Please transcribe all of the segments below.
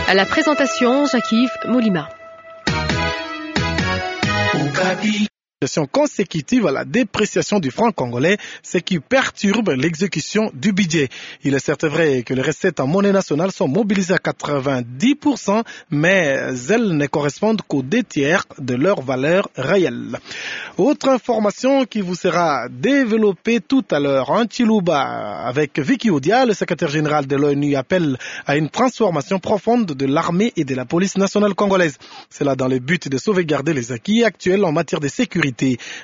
À la présentation, Jacques-Yves Moulima. Consécutive à la dépréciation du franc congolais, ce qui perturbe l'exécution du budget. Il est certes vrai que les recettes en monnaie nationale sont mobilisées à 90%, mais elles ne correspondent qu'aux deux tiers de leur valeur réelle. Autre information qui vous sera développée tout à l'heure en Chiluba avec Vicky Odia, le secrétaire général de l'ONU appelle à une transformation profonde de l'armée et de la police nationale congolaise. Cela dans le but de sauvegarder les acquis actuels en matière de sécurité.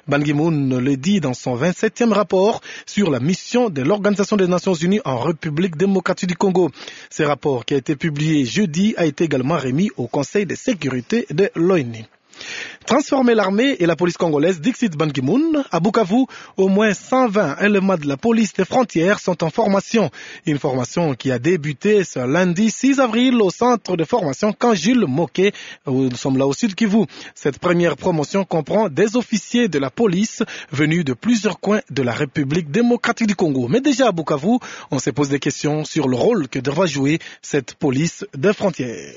Ban Ki-moon le dit dans son 27e rapport sur la mission de l'Organisation des Nations Unies en République démocratique du Congo. Ce rapport qui a été publié jeudi a été également remis au Conseil de sécurité de l'ONU. Transformer l'armée et la police congolaise, Dixit Ban Ki-moon, à Bukavu, au moins 120 éléments de la police des frontières sont en formation. Une formation qui a débuté ce lundi 6 avril au centre de formation Camp Jules Moké, où nous sommes là au sud Kivu. Cette première promotion comprend des officiers de la police venus de plusieurs coins de la République démocratique du Congo. Mais déjà à Bukavu, on se pose des questions sur le rôle que devra jouer cette police des frontières.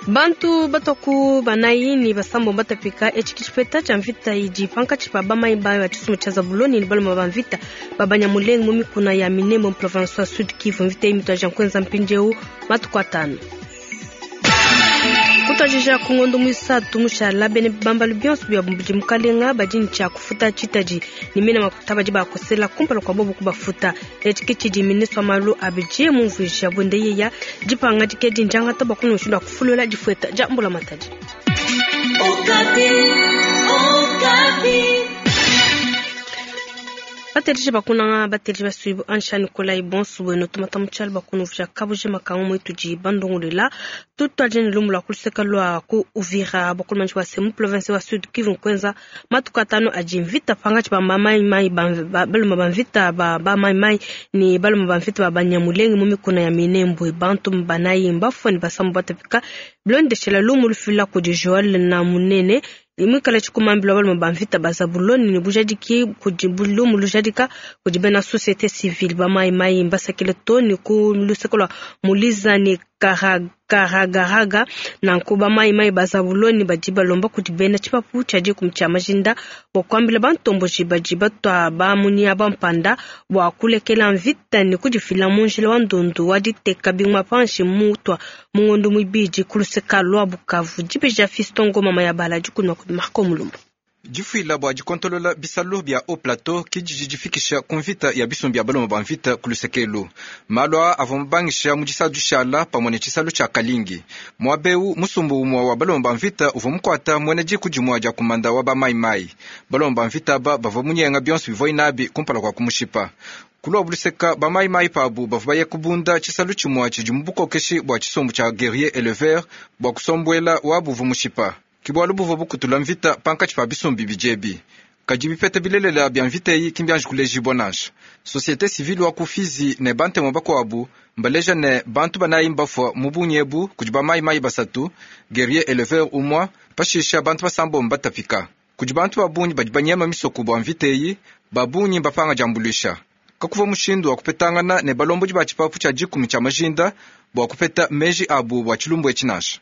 Bantu batoku banayi ni basambo batapika echiki tshipeta tshia mvita idi pankatshi pa bamayi ba tshisumbu tshia Zabuloni ni baluma ba mvita babanyamulenge mu mikuna ya Minembwe mu province wa Sud Kivu. Mvita iyi mituaja nkuenza mpindieu matuku atanu. Kutuadija ku ngondo muisatu mushala bene bambalu bionso bia budi mukalenga badi ne tshia kufuta tshitadi ne mena makuta badi bakosela kumpala kua bobu kubafuta. Etshi ke tshidi ministre wa malu a budget mumvuija buende yeya dipangadika edi ndiangata bua kumona mushindu wa kufulula difueta dia mbulamatadi. Bateleji bakunanga bateleji basuibu ansha Nikolai bonso bueno tumata mutshialu bakunuvua kabuji makangu muitudi bandongolela tutuadija ne lumu lua kuluseka lua ku Uvira bakulumantshi bua se mu province wa Sud Kivu nkuenza matuku atanu adi mvita pangatshi ba bamaimai baluma ba mvita ba bamaimai ne baluma ba mvita ba banyamulenge mu mikuna ya Minembwe. Bantu banayi mbafue ne basambu batapika bilondeshela lumu lufila kudi Joel na munene imwikala tshikumambila baluma ba mvita ba Zabuloni ne bujadiki kudi lumu lujadika kudi bena société civile ba maimai mbasakile to ne ku luseke lua Muliza ne Karagaraga nanku ba maimai ba Zabuloni badi balomba kudi bena tshipapu tshia dikumi tshia majinda bua kuambila bantomboji badi batua bamunia bampanda bua kulekela mvita ne kudifila mu njila wa ndundu wa diteka binguma panshi mutua mu ngondo muibidi ku luseka lua Bukavu. Dibeja Fiston Ngoma Mayabala dikunua kudi Marco Mulumba. Difuila bua dikontolola bisalu bia haut plateau kididi difikisha ku mvita ya bisumbu bia baloma ba mvita ku lusekelu. Malu aa avua mubangisha mu disalu dishala pamue ne tshisalu tshia Kalingi. Muaba eu musumbu umue wa baloma ba mvita uvua mukuata muena diku dimue dia kumanda wa bamaimai. Baloma ba mvita aba bavua munyenga bionso bivua inabi kumpala kua kumushipa. Kulua buluseka bamaimai pabu bavua baye kubunda tshisalu tshimue tshidi mu bukokeshi bua tshisumbu tshia guerrier éleveur bua kusombuela wabu uvua mushipa. Kibualu buvua bukutula mvita pankatshi pa bisumbu bidiebi. Kadi bipeta bilelela bia mvita eyi ki mbianji kulejibua nansha. Société civile wa ku Fizi ne bantemu bakuabu mbaleja ne bantu banayi mbafua mu bungi ebu kudi bamaimai basatu, guerrier éleveur umua, pashisha bantu basambo mbatapika. Kudi bantu ba bungi badi banyema misoko bua mvita eyi, ba bungi mbapanga diambuluisha. Kakuva mushindu wa kupetangana ne balombodi ba tshipapu tshia dikumi tshia majinda bua kupeta meji abu bua tshilumbu etshi nansha.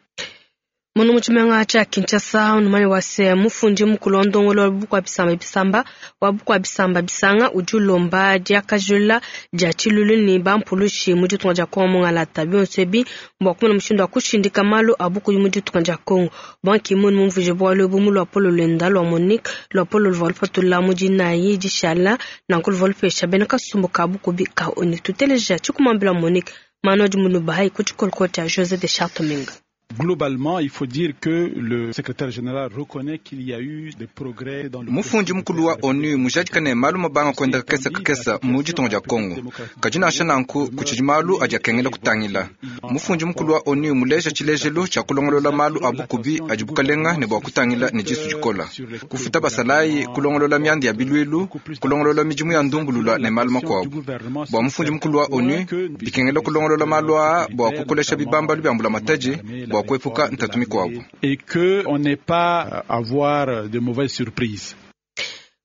Muno mu tshimenga tshia Kinshasa unumanye wa se mufundi mukulu wa ndongolo wa bukua bisamba bisamba wa bukua bisamba bisanga udi ulomba diakajula dia tshilulu ne bampulushi mu ditunga dia Kongo mungalata. Bionso ebi mbua kumona mushindu wa kushindika malu a bukuyi mu ditunga dia Kongo. Ban Ki-moon mumvuije bualu ebu mu luapolo luenda lua Monique, luapolo luvua lupatula mu dinayi dishala nanku luvua lupesha bena kasumbu ka bukubi ka ONU. Tuteleja tshikumambila Monique Manu adi munubahayi ku tshikolokolo tshia José de Chartominga. Globalement, il faut dire que le secrétaire général reconnaît qu'il y a eu des progrès dans le Mufundi mukulu wa ONU mujadika ne malu mabanga kwenda kakesa kakesa mu ditunga dia Kongo. Kadi nansha nanku kutshidi malu adi akengela kutangila. Mufundi mukulu wa ONU muleja tshilejelu tshia kulongolola malu a bukubi adi bukalenga ne bua kutangila ne disu dikola. Kufuta basalayi, kulongolola mianda ya biluilu, kulongolola midimu ya ndumbulula ne malu makuabu. Bua mufundi mukulu wa ONU bikengela kulongolola malu aa bua kukolesha bibambalu bia mbulamatadi bua kuepuka ntatu mikuabu. Et que on n'est pas à avoir de mauvaises surprises.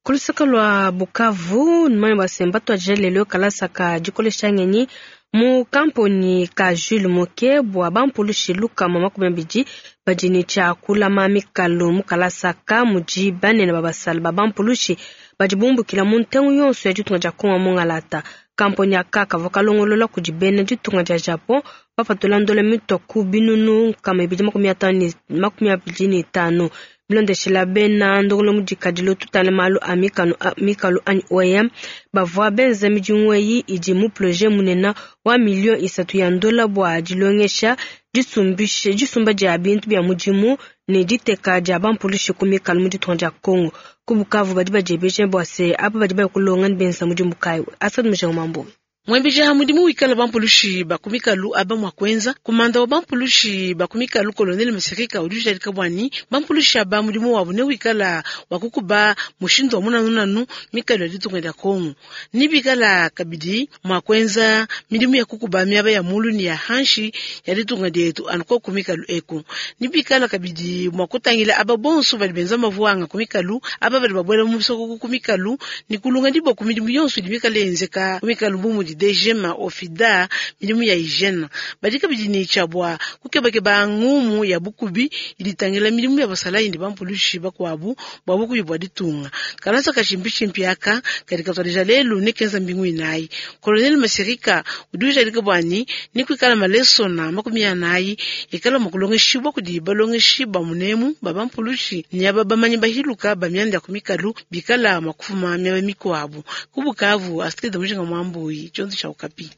Ku luseke lua Bukavu, numanye bua se mbatuadije lelu kalasa ka dikolesha ngenyi mu kamponi ka Jules Moke bua bampulushi 220 badi ne tshia kulama mikalu. Mu kalasa ka mudi banene ba basala ba bampulushi badi bumbukila mu ntengu yonso ya ditunga dia Kongo mungalata. Kamponi aka kavua kalongolola kudi bena ditunga dia Japon, bapatula ndola mitua ku 225 200. Bilondeshela bena ndongolo mudikadilo tutale malu a mikanu a mikalu anyi OIM, bavua benza midimu eyi idi mu projet munene wa 3 millions ya ndola bua dilongesha, disumba dia bintu bia mudimu ne diteka dia bampulushi ku mikalu mu ditunga dia Kongo. Ku Bukavu, badi badiebeja bua se aba badi baya kulonga ne benza mudimu kayi. Asad Mujangu Mambu. Mwembeja mudimu wikala bampulushi bakumikalu aba mwa kwenza kumanda wa bampulushi bakumikalu, Colonel Masirika, udi ujadika bwani bampulushi aba mudimu wabu ne wikala wa kukuba mushindu wa munanunanu mikalu ya ditunga dia Kongo, ni bikala kabidi mwa kwenza midimu ya kukuba miaba ya mulu ni ya hanshi ya ditunga dietu anu ko kumikalu eku, ni bikala kabidi mwa kutangila aba bonso badi benza mavuanga kumikalu, aba badi babwela mu bisoko kumikalu, ni kulunga diboko midimu yonso idi mikala yenzeka kumikalu bu mudi DGM, ofida, midimu ya hygiene. Badi kabidi ni tshiabua kukebakeba ngumu ya bukubi iditangila midimu ya basalayi ndi bampulushi bakuabu bua bukubi bua ditunga. Kalasa kachimpishimpi aka kadi katuadija lelu ne kenza mbingu inayi. Colonel Masirika udi ujadika bwani ni kuikala malesona 40 ikala mukulongeshibwa kudi balongeshi ba munemu ba bampulushi ni aba bamanyi bahiluka ba mianda ya kumikalu bikala makufuma miaba mikuabu. Ku Bukavu, Astrid Mujinga Mwambuyi, tshionso tshia Okapi.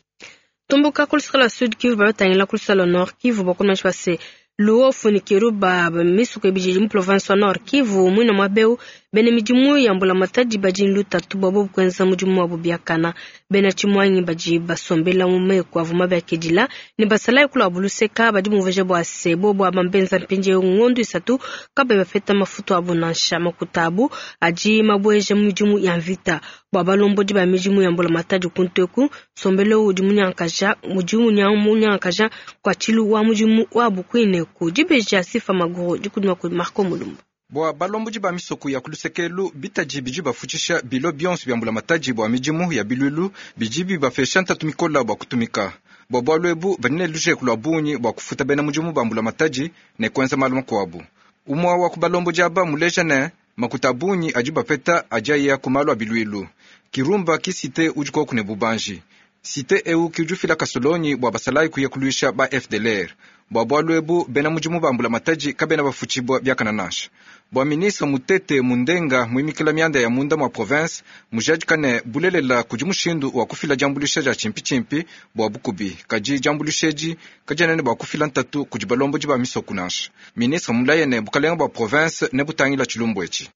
Tumbuka kulusaka lua Sud Kivu, batangila kulusaka lua Nord Kivu, bakomasha base Luofu ni Kiruba, misuko ibidi mu province wa Nord Kivu. Mwina mwabeu bene midimu ya mbula matadi badi lutatu bwabo kwenza mudimu wabo biakana. Bena chimwanyi badi basombela mu meko avuma bakedila ni basalayi kula buluseka badi muveje bwa sebo bwa bambenza mpinje ngondo 3 kabe bafeta mafutu abo nansha makutabu adi mabweje mu midimu ya mvita. Bwa balombodi ba midimu ya mbula matadi kunteku sombelo udi munyankaja mudimu munyankaja kwa chilu wa mudimu wa bukwine ku dibeja sifa maguru dikudima ku Marco Mulumba. Bua balombodi ba misoko ya kulusekelu, bitaji bidi bafutshisha bilo bionso bia mbulamatadi bua midimu ya bilulu bidi bibapesha ntatu mikola bua kutumika. Bua bualu ebu badi ne lujeku lua bungi bua kufuta bena mudimu ba mbulamatadi ne kuenza malu makuabu. Umue wa ku balombodi aba muleja ne makuta a bungi adi bapeta adi aya ku malu a biluilu. Kirumba ki cité udi koku ne bubanji. Cité eu ki udi ufila kasolonyi bua basalayi kuya kuluisha ba FDLR. Bua bualu ebu bena mudimu ba mbulamatadi kabena bafutshibua biakana nansha. Bua ministre Mutete Mundenga muimikila mianda ya munda mua province, mujadika ne bulelela kudi mushindu wa kufila diambuluisha dia tshimpitshimpi bua bukubi, kadi diambuluisha edi kadiena ne bua kufila ntatu kudi balombodi ba misoko nansha. Ministre mulaye ne bukalenga bua province ne butangila tshilumbu etshi.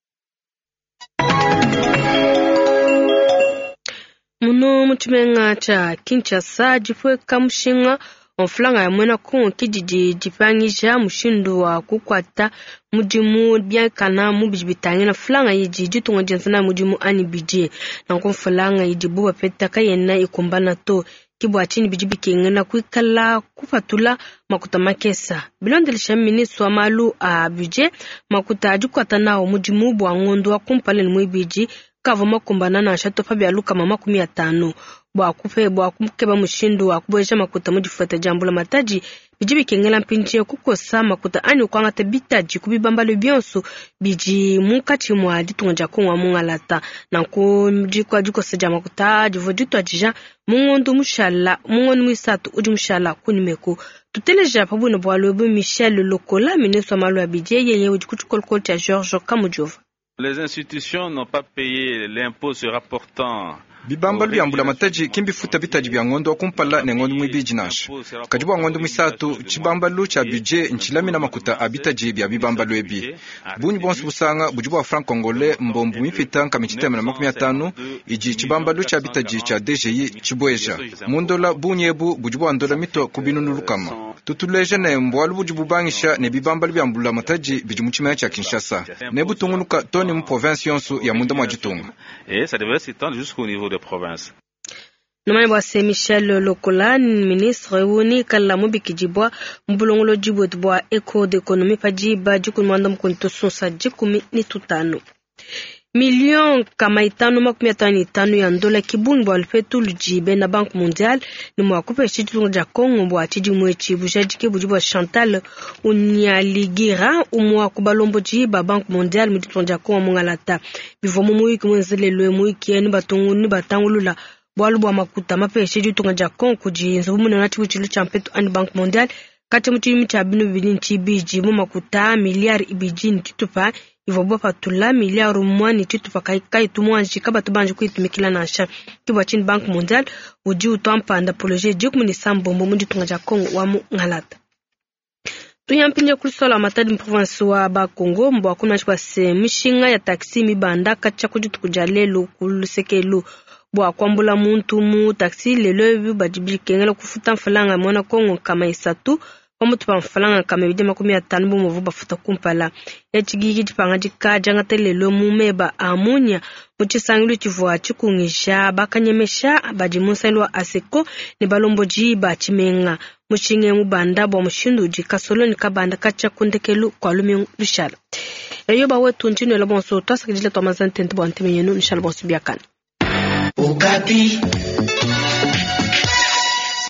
Muno mu tshimenga tshia Kinshasa, dipueka mushinga wa mfranga ya muena Kongo ke didi dipangisha mushindu wa kukuata mudimu biakana mu bidi bitangila mfranga idi ditunga dienza nayo mudimu anyi budget. Nanku mfranga idibu bapeta kayena ikumbana to, ke bua tshinyi bidi bikengela kuikala kupatula makuta makesa. Bilondelesha ministre wa malu a budget, makuta adi kuata nawo mudimu bua ngondo wa kumpala ne muibidi kavua makumbana nansha to pa bia 150. Bua kupe bua kukeba mushindu wa kubueja makuta mu difuta dia mbulamatadi, bidi bikengela mpindieu kukosa makuta anyi kuangata bitadi ku bibambalu bionso bidi munkatshi mua ditunga dia Kongo wa mungalata. Nanku dikua dikosa dia makuta divua dituadija mu ngondo mushala, mu ngondo muisatu udi mushala kunimeku. Tuteleja pa buno bualu ebu Michel Lokola, ministre wa malu a budget, yeye udi ku tshikolokolo tshia Georges Kamujova. Les institutions n'ont pas payé l'impôt se rapportant Bibambalu bia mbulamatadi ki mbifuta bitadi bia ngondo wa kumpala ne ngondo muibidi nansha. Kadi bua ngondo muisatu, tshibambalu tshia budget ntshilamina makuta a bitadi bia bibambalu ebi. Bungi buonso busanga budi bua franc congolais mbombu mipita nkama tshitema na makumi atanu idi tshibambalu tshia bitadi tshia DGI tshibueja. Mu ndola bungi ebu budi bua ndola mitua ku binunu lukama. Tutuleja ne mbualu budi bubangisha ne bibambalu bia mbulamatadi bidi mu tshimenga tshia Kinshasa ne butungunuka too ne mu province yonso ya munda mua ditunga. Et ça devrait s'étendre jusqu'au niveau des provinces. Numanye bua se Michel Lokola ministre uni kala mubikidibwa mu bulongolodi bwetu bua eco d'économie pa diba 15 tusunsa 15. Million kama 555 ya ndola kibungi bua lupetu ludi bena Banque mondiale ne mua kupesha ditunga dia Congo bua tshidimu etshi bujadiki budi bua Chantal Unyaligira umwa ku balombodi ba Banque mondiale mu ditunga dia Congo mungalata bivua mu muyuki muenzelelwe muyuki ni batungu ni batangulula bualu bua makuta mapesha ditunga dia Congo kudi nzubu munene wa tshibutshilu tshia mpetu ani Banque mondiale kati mu tshidimu tshia binu bibidi ne tshibidi mu makuta miliyari ibidi ne tshitupa ivua bapatula miliyari umue ne tshitupa kayitu muanji kabatu banji kuyitumikila nansha. Ke bua tshinyi Banque mondiale udi utua mpanda projet 17 mu ditunga dia Congo wa mu Ngalata. Tuyampinja kulisola wa Matadi province wa Bakongo mbwa kuna bua se mishinga ya taxi mibanda katshia ku dituku dia lelu ku lusekelu bua kuambula muntu mu taxi lelo ebi badi bikengela kufuta mfalanga mwana Kongo kama isatu pamutu pa mfalanga kama 250 bumuvu bafuta kumpala. Etshigigi dipangadika diangata lelo mu meba a munya mu tshisangilu tshivua tshikungisha bakanyemesha badi mu nsangilu wa ASECO ne balombodi ba tshimenga. Mushinge mubanda bua mushindu udi kasoloni kabanda katshia ku ndekelu kua lumingu lushala. Eyo bawetu ntshino bonso twasakidila twamazantente bua nteme yenu nshala bonso biakana. Okapi.